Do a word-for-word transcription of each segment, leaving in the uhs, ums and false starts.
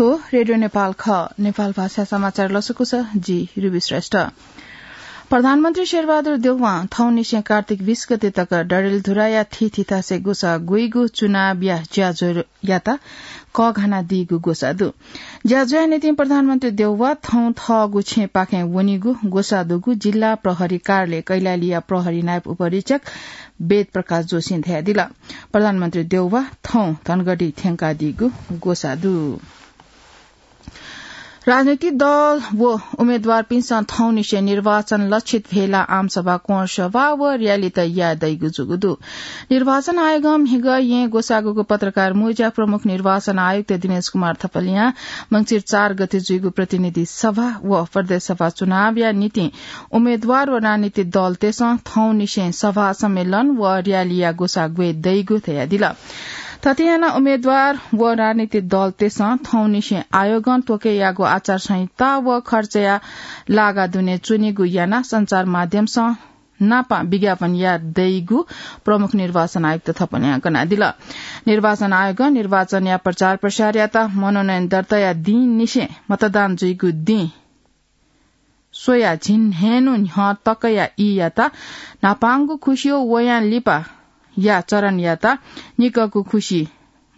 रेडियो नेपाल ख, नेपाल भाषा समाचार लसकुस, जि रुबी श्रेष्ठ। प्रधानमन्त्री शेरबहादुर देउवां थौंनिसें कार्तिक बीस गते तक डडेलधुराया थीथी थासय् ग्वसाः ग्वइगु चुनावया ज्याझ्वःयात कःघानादीगु ग्वसाः दु। ज्याझ्वःया निंतिं प्रधानमन्त्री देउवा थौं थःगु छेँपाखें वनीगु ग्वसाः दुगु जिल्ला प्रहरी कार्यालय कैलालीया प्रहरी नायब उपरीक्षक वेद प्रकाश जोशीं धयादिल। प्रधानमन्त्री देउवा थौं धनगढी थ्यंकादीगु ग्वसाः दु। राजनीतिक दल व उम्मेद्वारपिन्सं थौंनिसें निर्वाचन लक्षित भेला, आमसभा, कोणसभा व र्‍यालीत याये दइगु जूगु दु। निर्वाचन आयोगं म्हिगः येँ ग्वसाःगु पत्रकार मुँज्या प्रमुख निर्वाचन आयुक्त दिनेश कुमार थपलियां मंसिर चार गते जुइगु प्रतिनिधि सभा व प्रदेश सभा चुनावया निंतिं उम्मेद्वार व राजनीतिक दलतय्सं थौंनिसें सभा, सम्मेलन व र्‍यालीया ग्वसाः ग्वये दइगु धयादिल। थथे यानाः उम्मेद्वार व राजनीतिक दलतय्सं थौंनिसें आयोगं त्वःके याःगु आचार संहिता व खर्चया लागा दुने च्वनीगु यानाः सञ्चार माध्यमसं नापं विज्ञापन याये दइगु प्रमुख निर्वाचन आयुक्त थपलियां कनादिल। निर्वाचन आयोगं निर्वाचनया प्रचार प्रसारयात मनोनयन दर्ताया दिंनिसें मतदान जुइगु दिं स्वयाः झिंन्हय्न्हु न्ह्यः तकया ईयात न्हापांगु खुसि व वयां लिपाया चरणयात निकःगु खुसि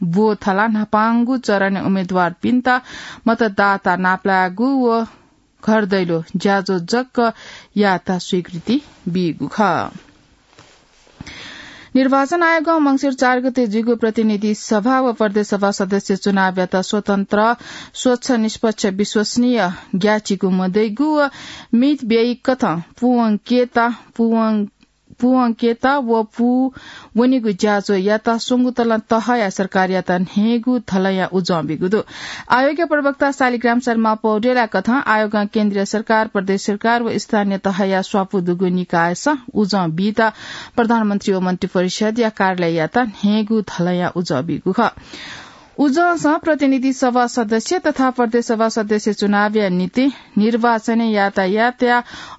ब्वथलाः न्हापांगु चरणय् उम्मेद्वारपिन्त मतदाता नापलायेगु व घर दैलो ज्याझ्वः जक यायेत स्वीकृति बीगु खः। निर्वाचन आयोगं मंसिर चार गते जुइगु प्रतिनिधि सभा व प्रदेश सभा सदस्य चुनावयात स्वतन्त्र, स्वच्छ, निष्पक्ष, विश्वसनीय, ग्याःचिकु मदइगु व मितब्ययी कथं पूवंकेत, पूवं-, पूवंकेत व पूवनीगु ज्याझ्वःयात स्वंगू तलं तहया सरकारयात न्हय्गू धलंया उजं बीगु दु। आयोगया प्रवक्ता शालिग्राम शर्मा पौडेलया कथं आयोगं केन्द्रीय सरकार, प्रदेश सरकार व स्थानीय तहया स्वापू दुगु निकायसं उजं बीत प्रधानमन्त्री व मन्त्रिपरिषदया कार्यालययात न्हय्गू धलंया उजं बीगु खः। उजंसं प्रतिनिधि सभा सदस्य तथा प्रदेश सभा सदस्य चुनावया निंतिं निर्वाचनय् यातायातया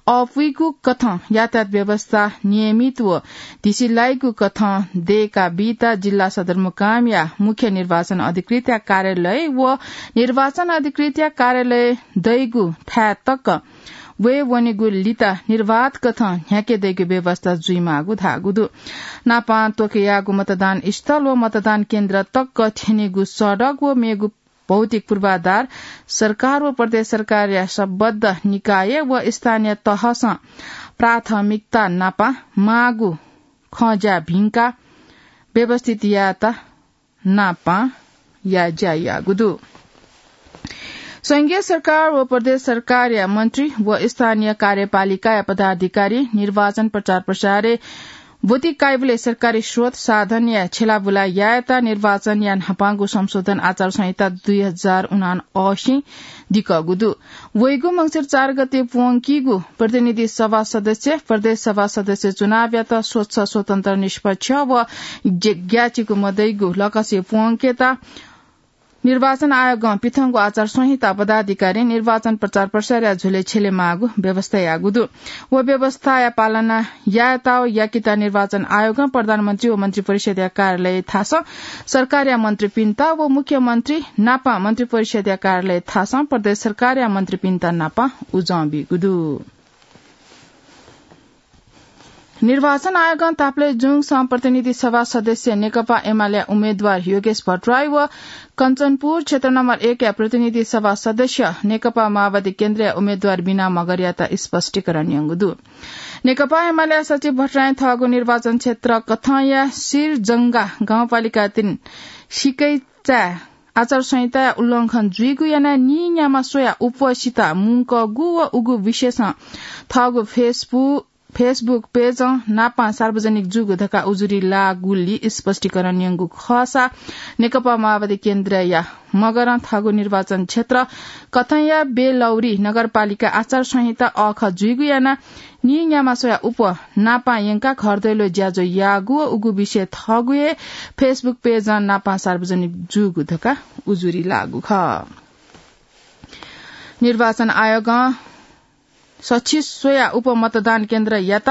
अपुइगु कथं यातायात व्यवस्था नियमित व धिसिलाइगु कथं दय्का बीत जिल्ला सदरमुकामया मुख्य निर्वाचन अधिकृतया कार्यालय व निर्वाचन अधिकृतया कार्यालय दइगु थाय् तक वये वनेगु लिता निर्वाध कथं न्ह्याके दइगु व्यवस्था जुइमाःगु धाःगु दु। नापं त्वःके याःगु मतदान स्थल व मतदान केन्द्र तक थ्यनेगु सडक व मेगु भौतिक पूर्वाधार सरकार व प्रदेश सरकारया सम्बद्ध निकाय व स्थानीय तहसं प्राथमिकता नापं माःगु खँज्या भिंकाः व्यवस्थित यायेत नापं याये ज्या याःगु दु। संघीय सरकार व प्रदेश सरकारया मन्त्री व स्थानीय कार्यपालिकाया पदाधिकारी निर्वाचन प्रचार प्रसारय् ब्वति काइबलय् सरकारी स्रोत साधनया छ्यलाबुला यायेत निर्वाचनया न्हापांगु संशोधन आचार संहिता दुई हजार उनासी दिकःगु दु। वइगु मंसिर चार गते प्वंकीगु प्रतिनिधि सभा सदस्य, प्रदेश सभा सदस्य चुनावयात स्वच्छ, स्वतन्त्र, निष्पक्ष व ग्याःचिकु मदइगु लकसे प्वंकेत निर्वाचन आयोगं पिथंगु आचार संहिता पदाधिकारी निर्वाचन प्रचार प्रसारया झ्वलय् छ्यलेमाःगु व्यवस्था याःगु दु। व व्यवस्थाया पालना यायेत व याकेत निर्वाचन आयोगं प्रधानमन्त्री व मन्त्रिपरिषदया कार्यालय थासं सरकारया मन्त्रीपिन्त व मुख्यमन्त्री नापं मन्त्रिपरिषदया कार्यालय थासं प्रदेश सरकारया मन्त्रीपिन्त नापं उजं बीगु दु। निर्वाचन आयोगं तापालय् जुङसं प्रतिनिधि सभा सदस्य नेकपा एमालेया उम्मेद्वार योगेश भट्टराई व कञ्चनपुर क्षेत्र नम्बर एकया प्रतिनिधि सभा सदस्य नेकपा माओवादी केन्द्रया उम्मेद्वार बिना मगरयात स्पष्टीकरण यंगु दु। नेकपा एमालेया सचिव भट्टराईं थःगु निर्वाचन क्षेत्र कथंया सिरजंगा गाउँपालिका तीन सिकैचाय् आचार संहिताया उल्लंघन जुइगु यानाः नीन्यामा स्वयाः उपस्थितता मुंकूगु व उगु विषयसं थःगु Facebook, Facebook पेजं नापं सार्वजनिक जूगु धकाः उजुरी लाःगुलिं स्पष्टीकरण यंगु खःसा नेकपा माओवादी केन्द्रया मगरं थःगु निर्वाचन क्षेत्र कथंया बेलौरी नगरपालिका आचार संहिता अःखः जुइगु यानाः नीन्यामा स्वयाः उप नापं यंकाः घर दैलो ज्याझ्वः याःगु व उगु विषय थःगु हे Facebook पेजं नापं सार्वजनिक जूगु धकाः उजुरी लाःगु खः। निर्वाचन आयोगं सछि स्वया उपमतदान केन्द्रयात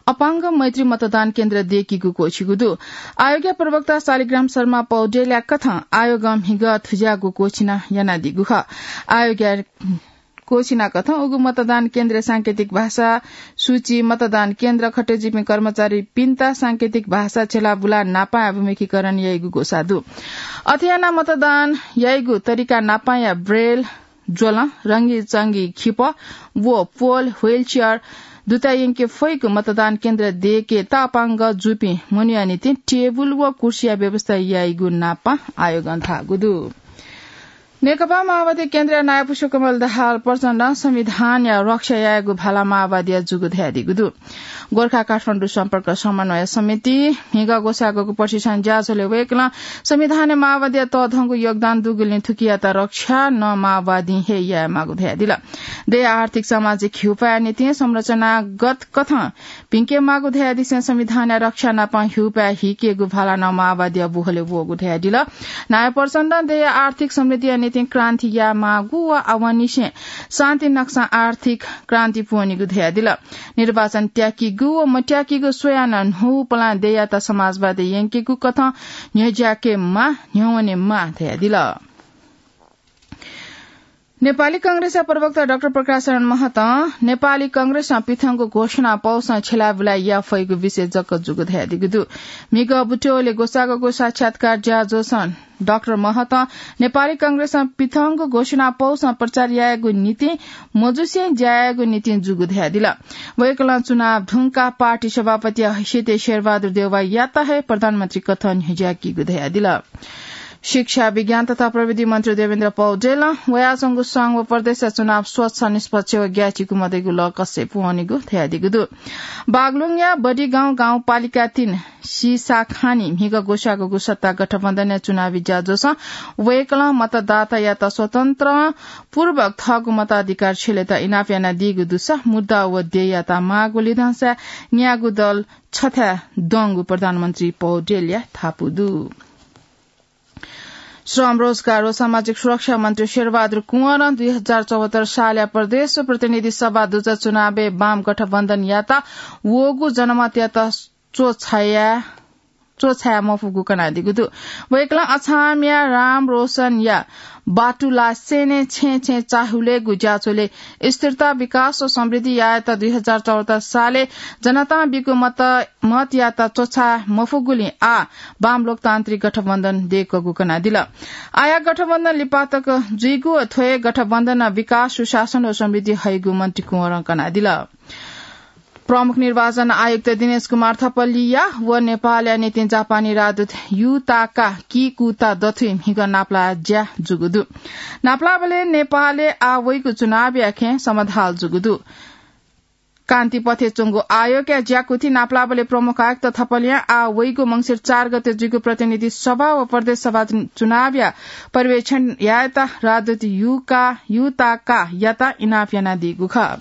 अपाङ्ग मैत्री मतदान केन्द्र दय्‌कीगु क्वःछिगु दु। आयोगया प्रवक्ता शालिग्राम शर्मा पौडेलया कथं आयोगं म्हिगः थुज्याःगु क्वःछिना यानादीगु खः। आयोगया क्वःछिना कथं उगु मतदान केन्द्रय् सांकेतिक भाषा सूची, मतदान केन्द्र खटेजुइपिं कर्मचारीपिन्त सांकेतिक भाषा छ्यलाबुला नापां अभिमुखीकरण याइगु ग्वसाः दु। अथे यानाः मतदान याइगु तरिका नापांया ब्रेल ज्वलं, रंगीचंगी खिपः व पोल, wheelchair दुता यंके फइगु मतदान केन्द्र दय्‌केत अपाङ्ग जूपिं मनूया निंतिं टेबुल व कुर्सीया व्यवस्था याइगु नापां आयोगं धाःगु दु। नेकपा माओवादी केन्द्रया नायः पुष्पकमल दाहाल प्रचण्डं संविधानया रक्षा यायेगु भाला माओवादीया जूगु धयादीगु दु। गोर्खा काठमाडौं सम्पर्क समन्वय समिति म्हिगः ग्वसाःगु प्रशिक्षण ज्याझ्वलय् वय्‌कलं संविधानय् माओवादीया तःधंगु योगदान दुगुलिं थुकियात रक्षा नं माओवादीं हे यायेमाःगु धयादिल। देय्‌या आर्थिक सामाजिक हिउपाया निंतिं संरचनागत कथं भिंकेमाःगु धयादिसें संविधानया रक्षा नाप हिउपाय् हिकेगु भाला नं माओवादीया बुहलय् वःगु धयादिल। नायः प्रचण्डं देय्‌या आर्थिक समृद्धिया निंतिं क्रान्ति यायेमाःगु व आवंनिसें शान्ति नक्सां आर्थिक क्रान्ति पूवनीगु धयादिल। निर्वाचन त्याकीगु व मत्याकीगु स्वयाः नं न्हूपलां देय्‌यात समाजवादय् यंकेगु कथं न्ह्यज्याकेमाः, न्ह्यवनेमाः धयादिल। नेपाली कांग्रेसया प्रवक्ता डाक्टर प्रकाश शरण महतं नेपाली कांग्रेसं पिथंगु घोषणा पौसं छ्यलाबुला याये फइगु विषय जक जूगु धयादीगु दु। म्हिगः बुट्यौलय् ग्वसाःगु साक्षात्कार ज्याझ्वलय् डाक्टर महतं नेपाली कांग्रेसं पिथंगु घोषणा पौसं प्रचार यायेगु निंतिं मजुसें ज्या यायेगु निंतिं जूगु धयादिल। वय्‌कलं चुनाव धुंकाः पार्टी सभापतिया हैसियतय् शेरबहादुर देउवायात हे प्रधानमन्त्री कथं न्ह्यज्याकीगु धयादिल। शिक्षा, विज्ञान तथा प्रविधि मन्त्री देवेन्द्र पौडेलं वयाच्वंगु संघ व प्रदेशया चुनाव स्वच्छ, निष्पक्ष व ग्याःचिकु मदइगु लकसय् पूवनीगु धयादीगु दु। बागलुङया बडिगाउँ गाउँपालिका तीन सिसाखानी म्हिगः ग्वसाःगु सत्ता गठबन्धनया चुनावी ज्याझ्वलय् वय्‌कलं मतदातायात स्वतन्त्रपूर्वक थःगु मताधिकार छ्यलेत इनाप यानादीगु दुसा मुद्दा व देय्‌यात माःगु लिधंसाय् न्यागू दल छथाय् दंगु प्रधानमन्त्री पौडेलया धापू दु। श्रम, रोजगार व सामाजिक सुरक्षा मन्त्री शेरबहादुर कुँवरं दुई हजार चौहत्तर सालया प्रदेश प्रतिनिधि सभा दुजः चुनावय् वाम गठबन्धनयात वःगु जनमतयात च्वछाया, च्वछाया मफुगु कनादीगु दु। वय्‌कलं अछामया राम रोशनया बाटुलासेनय् छेँय् छेँय् चाःहुलेगु ज्याझ्वलय् स्थिरता, विकास व समृद्धि यायेत दुई हजार चौहत्तर सालय् जनतां बीगु मत, मतयात च्वछाये मफुगुलिं आः वाम लोकतान्त्रिक गठबन्धन दय्‌कूगु कनादिल। आःया गठबन्धन लिपा तक जुइगु व थ्व हे गठबन्धनं विकास, सुशासन व समृद्धि हइगु मन्त्री कुँवरं कनादिल। प्रमुख निर्वाचन आयुक्त दिनेश कुमार थपलिया व नेपालया निंतिं जापानी राजदूत युताका किकुता दथुइ म्हिगः नापलाः ज्या जूगु दु। नापलाःबलय् नेपालय् आः वइगु चुनावया खँय् समधाल जूगु दु। कान्तिपथय् च्वंगु आयोगया ज्याकुथिइ नापलाःबलय् प्रमुख आयुक्त थपलियां आः वइगु मंसिर चार गते जुइगु प्रतिनिधि सभा व प्रदेश सभा चुनावया पर्यवेक्षण यायेत राजदूत युका, युताकायात इनाप यानादीगु खः।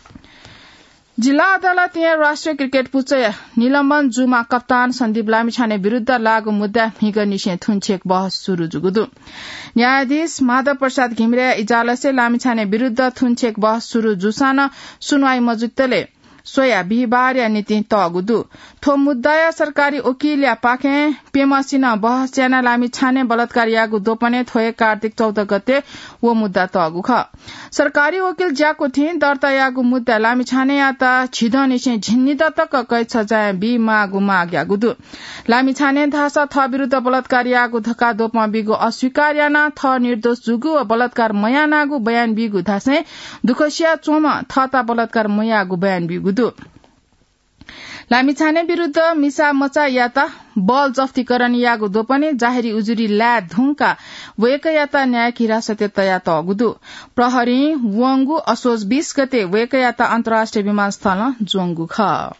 जिल्ला अदालतया राष्ट्रिय क्रिकेट पुचःया निलम्बन जूम्ह कप्तान सन्दीप लामिछाने विरुद्ध लाःगु मुद्दाय् म्हिगःनिसें थुंछेँय् बहस सुरु जूगु दु। न्यायाधीश माधव प्रसाद घिमिरेया इजलासय् लामिछाने विरुद्ध थुंछेँय् बहस सुरु जूसां नं सुनुवाइ मजुतले स्वयाः बिहिबारया निंतिं तःगु दु। थ्व मुद्दाया सरकारी वकिलया पाखें प्यम्हसिनं बहस यानाः लामिछाने बलात्कार याःगु द्वपनय् थ्व हे कार्तिक चौध गते व मुद्दा तःगु खः। सरकारी वकिल ज्याकुथिं दर्ता याःगु मुद्दाय् लामिछानेयात झिदँनिसें झिंनिदँ तक कैद सजाय बीमाःगु माग याःगु दु। लामिछाने धाःसा थः विरुद्ध बलात्कार याःगु धकाः द्वपं बीगु अस्वीकार यानाः थः निर्दोष जूगु व बलात्कार मयानागु बयान बीगु धासें दुःख सिया च्वंम्ह थःत बलात्कार मयाःगु बयान बीगु दु। लामिछाने विरुद्ध मिसा मचायात बल जफ्तीकरण याःगु द्वपनय् जाहेरी उजुरी लाये धुंकाः वय्कःयात न्यायिक हिरासतय् तयातःगु दु। प्रहरीं वंगु असोज बीस गते वय्कःयात अन्तर्राष्ट्रिय विमानस्थलं ज्वंगु खः।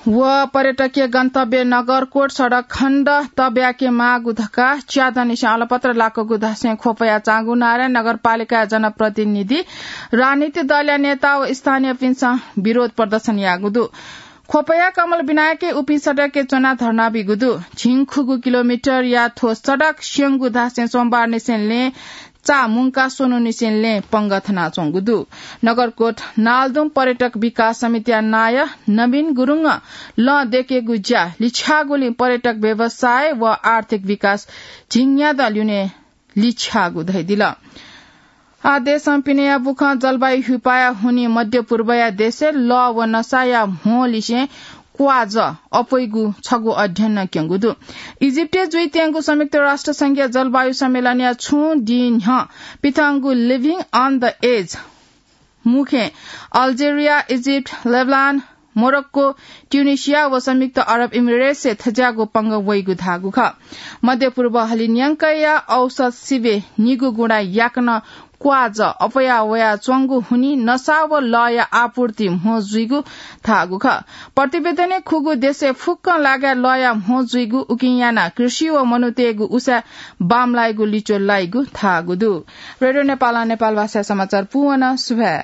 व पर्यटकीय गन्तव्य नगरकोट सडक खण्ड तब्याके माःगु धकाः च्यादँनिसें अलपत्र लाकूगु धासें ख्वपया चाँगुनारायण नगरपालिकाया जनप्रतिनिधि, राजनीतिक दलया नेता व स्थानीयपिन्सं विरोध प्रदर्शन याःगु दु। ख्वपया कमल विनायकय् उपिं सडकय् च्वनाः धर्ना बीगु दु। झिंखुगू किलोमिटरया थ्व सडक स्यंगू धासें सोमबार निसें लँय् चा मुंका स्वन्हु निसें लँय् पंगः थनाच्वंगु दु। नगरकोट नालदुम पर्यटक विकास समितिया नायः नवीन गुरुङं लँ दयेकेगु ज्या लिछ्याःगुलिं पर्यटक व्यवसाय व आर्थिक विकास झिंन्यादँ ल्यूने लिछ्याःगु धयादिल। आ देशं पिनेया बुखं जलवायु ह्युपाया हुनिं मध्य पूर्वया देशय् लः व नसाया म्हो लिसें क्वाजः अप्वइगु छगू अध्ययनं क्यंगु दु। इजिप्टय् जुइत्यंगु संयुक्त राष्ट्र संघया जलवायु सम्मेलनया छुं दिं न्ह्यः पिथंगु Living on the Edge मुखें Algeria, Egypt, Lebanon, Morocco, Tunisia व संयुक्त अरब इमिरेट्सय् थज्याःगु पंगः वइगु धाःगु खः। मध्य पूर्व हलिं न्यंकया औसत सिबें निगू गुणा याकनं क्वाजः अप्वया वयाच्वंगु हुनिं नसा व लःया आपूर्ति म्हो जुइगु धाःगु खः। प्रतिवेदनय् खुगू देशय् फुक्कं लागाय् लःया म्हो जुइगु, उकिं यानाः कृषि व मनूतय्गु उसाँय् बांमलाइगु लिच्वः लाइगु धाःगु दु। रेडियो नेपालं नेपाल भाषाय् समाचार पूवन। सुभाय्।